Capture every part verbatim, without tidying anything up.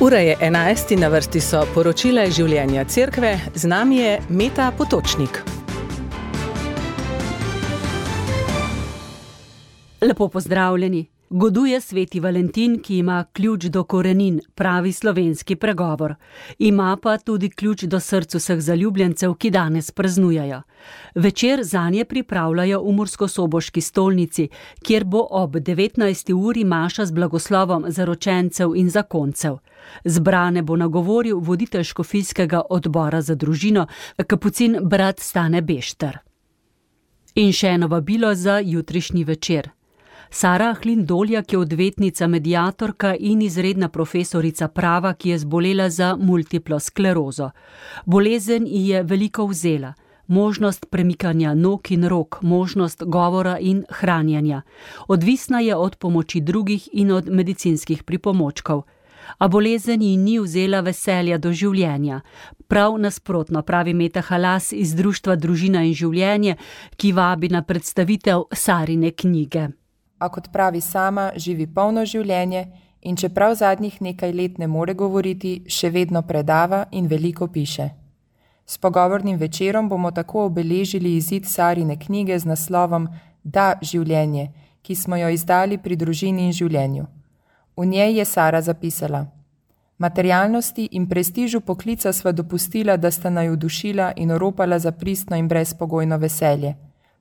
Ura je enajst in na vrsti so poročila iz življenja cerkve, z nami je Meta Potočnik. Lepo pozdravljeni. Goduje sveti Valentin, ki ima ključ do korenin, pravi slovenski pregovor. Ima pa tudi ključ do src vseh zaljubljencev, ki danes praznujejo. Večer zanje pripravljajo v Murskosoboški stolnici, kjer bo ob devetnajsti uri maša z blagoslovom zaročencev in zakoncev. Zbrane bo nagovoril voditelj škofijskega odbora za družino, kapucin brat Stane Bešter. In še eno vabilo za jutrišnji večer. Sara Ahlin Doljak je odvetnica, mediatorka in izredna profesorica prava, ki je zbolela za multiplo sklerozo. Bolezen ji je veliko vzela. Možnost premikanja nog in rok, možnost govora in hranjenja. Odvisna je od pomoči drugih in od medicinskih pripomočkov. A bolezen ji ni vzela veselja do življenja. Prav nasprotno, pravi Meta Halas iz Društva Družina in življenje, ki vabi na predstavitev Sarine knjige. A kot pravi sama, živi polno življenje in čeprav zadnjih nekaj let ne more govoriti, še vedno predava in veliko piše. S pogovornim večerom bomo tako obeležili izid Sarine knjige z naslovom Da, življenje, ki smo jo izdali pri Družini in življenju. V njej je Sara zapisala: Materialnosti in prestižu poklica sva dopustila, da sta naju dušila in oropala za pristno in brezpogojno veselje.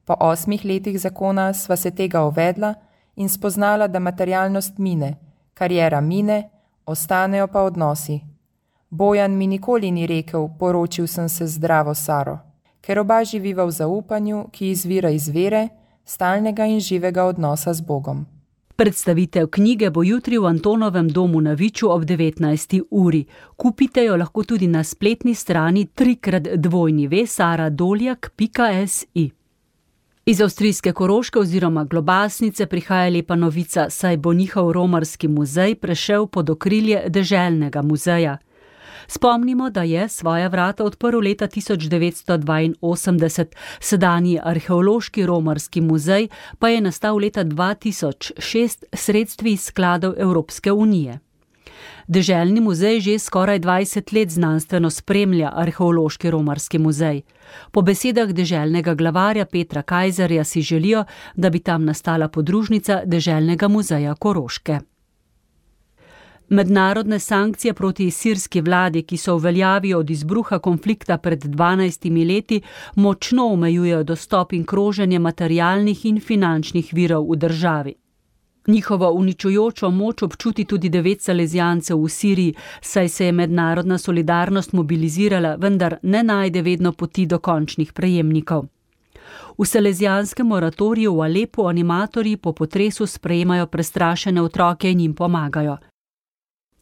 Po osmih letih zakona sva se tega uvedla in spoznala, da materialnost mine, kariera mine, ostanejo pa odnosi. Bojan mi nikoli ni rekel, poročil sem se z zdravo Saro, ker oba živiva v zaupanju, ki izvira iz vere, stalnega in živega odnosa z Bogom. Predstavitev knjige bo jutri v Antonovem domu na Viču ob devetnajsti uri. Kupite jo lahko tudi na spletni strani trikrat dvojni ve sara doljak pika si. Iz avstrijske Koroške oziroma Globasnice prihaja lepa novica, saj bo njihov romarski muzej prešel pod okrilje deželnega muzeja. Spomnimo, da je svoja vrata odprl leta tisoč devetsto dvainosemdeset, sedanji arheološki romarski muzej pa je nastal leta dva tisoč šest sredstvi iz skladov Evropske unije. Deželni muzej že skoraj dvajset let znanstveno spremlja arheološki romarski muzej. Po besedah deželnega glavarja Petra Kajzerja si želijo, da bi tam nastala podružnica Deželnega muzeja Koroške. Mednarodne sankcije proti sirski vladi, ki so v veljavi od izbruha konflikta pred dvanajstimi leti, močno omejujejo dostop in kroženje materialnih in finančnih virov v državi. Njihovo uničujočo moč občuti tudi devet salezijancev v Siriji, saj se je mednarodna solidarnost mobilizirala, vendar ne najde vedno poti do končnih prejemnikov. V salezijanskem moratoriju v Alepu animatorji po potresu sprejemajo prestrašene otroke in jim pomagajo.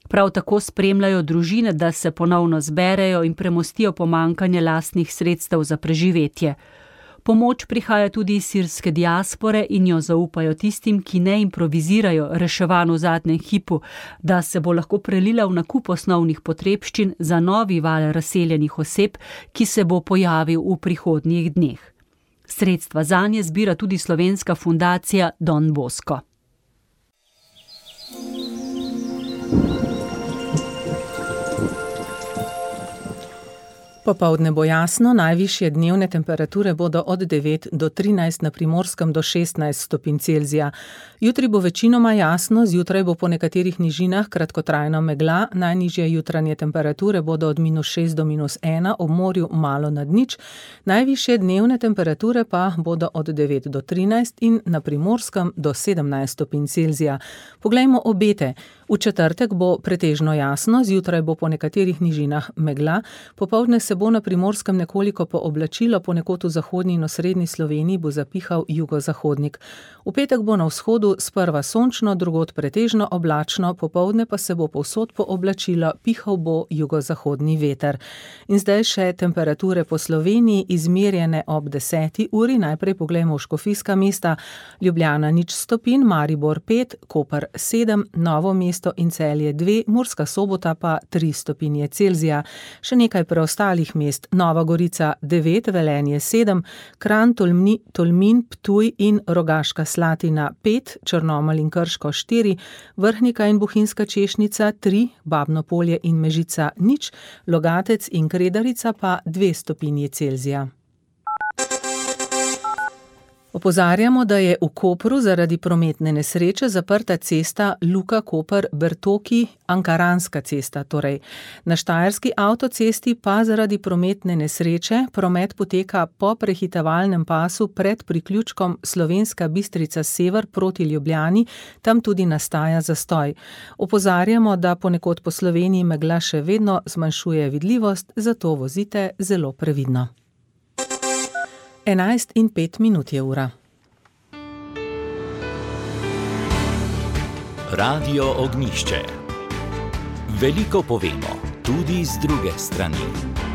Prav tako spremljajo družine, da se ponovno zberejo in premostijo pomanjkanje lastnih sredstev za preživetje. Pomoč prihaja tudi iz sirske diaspore in jo zaupajo tistim, ki ne improvizirajo reševanj v zadnjem hipu, da se bo lahko prelila v nakup osnovnih potrebščin za novi val razseljenih oseb, ki se bo pojavil v prihodnjih dneh. Sredstva zanje zbira tudi slovenska fundacija Don Bosco. Popoldne bo jasno, najvišje dnevne temperature bodo od devet do trinajst, na Primorskem do šestnajst stopinj Celzija. Jutri bo večinoma jasno, zjutraj bo po nekaterih nižinah kratkotrajno megla, najnižje jutranje temperature bodo od minus šest do minus ena, ob morju malo nad nič, najvišje dnevne temperature pa bodo od devet do trinajst in na Primorskem do sedemnajst stopinj Celzija. Poglejmo obete. V četrtek bo pretežno jasno, zjutraj bo po nekaterih nižinah megla, popoldne se bo na Primorskem nekoliko pooblačilo, ponekod v zahodni in osrednji Sloveniji bo zapihal jugozahodnik. V petek bo na vzhodu sprva sončno, drugod pretežno oblačno, popoldne pa se bo povsod pooblačilo, pihal bo jugozahodni veter. In zdaj še temperature po Sloveniji, izmerjene ob deseti uri. Najprej poglejmo v škofijska mesta. Ljubljana nič stopinj, Maribor pet, Koper sedem, Novo mesto mesto in Celje dve, Murska Sobota pa tri stopinje Celzija. Še nekaj preostalih mest: Nova Gorica devet, Velenje sedem, Kranj, Tolmi, Tolmin, Ptuj in Rogaška Slatina pet, Črnomelj in Krško štiri, Vrhnika in Bohinjska Češnica tri, Babno Polje in Mežica nič, Logatec in Kredarica pa dve stopinji Celzija. Opozarjamo, da je v Kopru zaradi prometne nesreče zaprta cesta Luka-Koper-Bertoki, Ankaranska cesta torej. Na štajerski avtocesti pa zaradi prometne nesreče promet poteka po prehitevalnem pasu pred priključkom Slovenska Bistrica sever proti Ljubljani, tam tudi nastaja zastoj. Opozarjamo, da ponekod po Sloveniji megla še vedno zmanjšuje vidljivost, zato vozite zelo previdno. enajst in pet minut je ura. Radio Ognjišče. Veliko povemo, tudi z druge strani.